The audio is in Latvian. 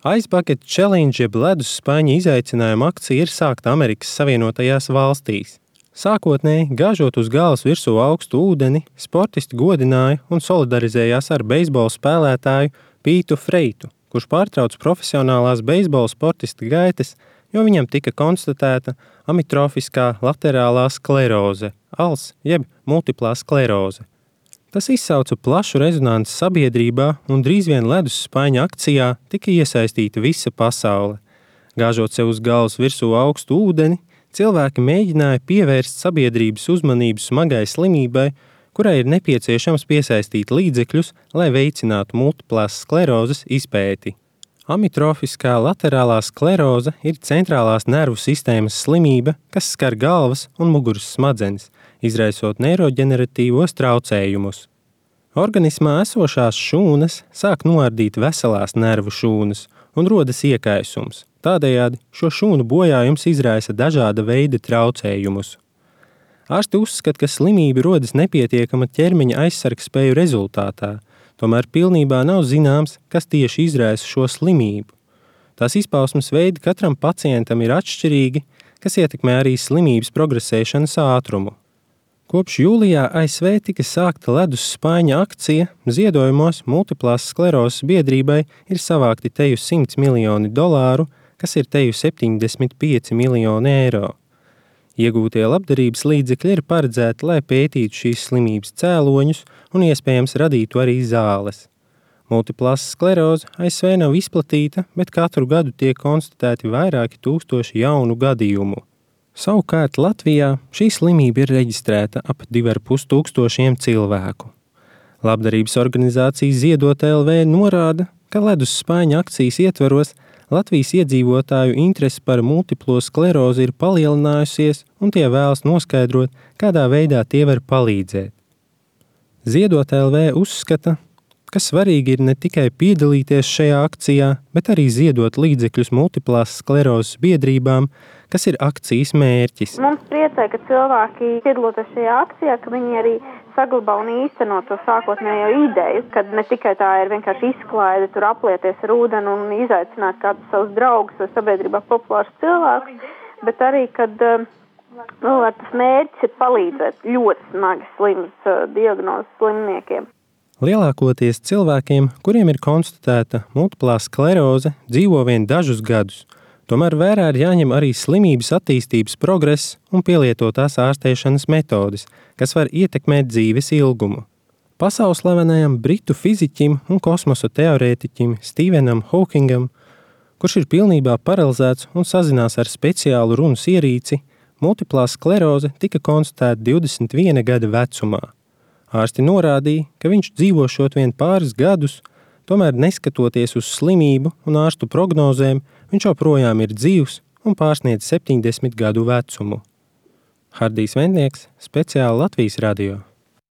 Ice Bucket Challenge jeb ledus spaiņa izaicinājuma akcija ir sākta Amerikas Savienotajās valstīs. Sākotnēji, gāžot uz galvas virsū augstu ūdeni, sportisti godināja un solidarizējās ar beisbola spēlētāju Pītu Freitu, kurš pārtrauc profesionālās beisbola sportista gaitas, jo viņam tika konstatēta amitrofiskā laterālā skleroze, ALS jeb multiplā skleroze. Tas izsauca plašu rezonanci sabiedrībā un drīz vien ledus spaiņa akcijā tika iesaistīta visa pasaule. Gāžot sev uz galvas virsū augstu ūdeni, cilvēki mēģināja pievērst sabiedrības uzmanību smagai slimībai, kurai ir nepieciešams piesaistīt līdzekļus, lai veicinātu multiplās sklerozes izpēti. Amitrofiskā laterālā skleroze ir centrālās nervu sistēmas slimība, kas skar galvas un muguras smadzenes, izraisot neiroģeneratīvos traucējumus. Organismā esošās šūnas sāk noardīt veselās nervu šūnas un rodas iekaisums. Tādējādi šo šūnu bojājums izraisa dažāda veida traucējumus. Ārsti uzskata, ka slimība rodas nepietiekama ķermeņa aizsargspēju rezultātā, tomēr pilnībā nav zināms, kas tieši izraisa šo slimību. Tās izpausmes veidi katram pacientam ir atšķirīgi, kas ietekmē arī slimības progresēšanas ātrumu. Kopš jūlijā ASV tika sākta ledus spaiņa akcija, ziedojumos multiplās sklerozes biedrībai ir savākti teju $100 miljoni, kas ir teju 75 miljoni eiro. Iegūtie labdarības līdzekļi ir paredzēti, lai pētītu šīs slimības cēloņus un iespējams radītu arī zāles. Multiplās skleroze ASV nav izplatīta, bet katru gadu tiek konstatēti vairāki tūkstoši jaunu gadījumu. Savukārt Latvijā šī slimība ir reģistrēta ap 2500 cilvēku. Labdarības organizācija Ziedot LV norāda, ka ledus spaiņa akcijas ietvaros Latvijas iedzīvotāju interese par multiplo sklerozi ir palielinājusies un tie vēlas noskaidrot, kādā veidā tie var palīdzēt. Ziedot LV uzskata, ka svarīgi ir ne tikai piedalīties šajā akcijā, bet arī ziedot līdzekļus multiplās sklerozes biedrībām, kas ir akcijas mērķis. Mums priecē, ka cilvēki piedaloties šajā akcijā, ka viņi arī saglabā un īsteno to sākotnējo ideju, kad ne tikai tā ir vienkārši izklaide, tur aplieties ar ūdeni un izaicināt kādus savus draugus vai sabiedrībā populārus cilvēkus, bet arī, kad tas mērķis ir palīdzēt ļoti smagi slimas diagnozes slimniekiem. Lielākoties cilvēkiem, kuriem ir konstatēta multiplā skleroze, dzīvo vien dažus gadus. Tomēr vērā ir jāņem arī slimības attīstības progress un pielietotās ārstēšanas metodes, kas var ietekmēt dzīves ilgumu. Pasaulslavenajam britu fiziķim un kosmosa teorētiķim Stephenam Hawkingam, kurš ir pilnībā paralizēts un sazinās ar speciālu runas ierīci, multiplā skleroze tika konstatēta 21 gada vecumā. Ārsti norādīja, ka viņš dzīvošot vien pāris gadus, tomēr neskatoties uz slimību un ārstu prognozēm, viņš joprojām ir dzīvs un pārsniedz 70 gadu vecumu. Hardijs Vendnieks, speciāli Latvijas radio.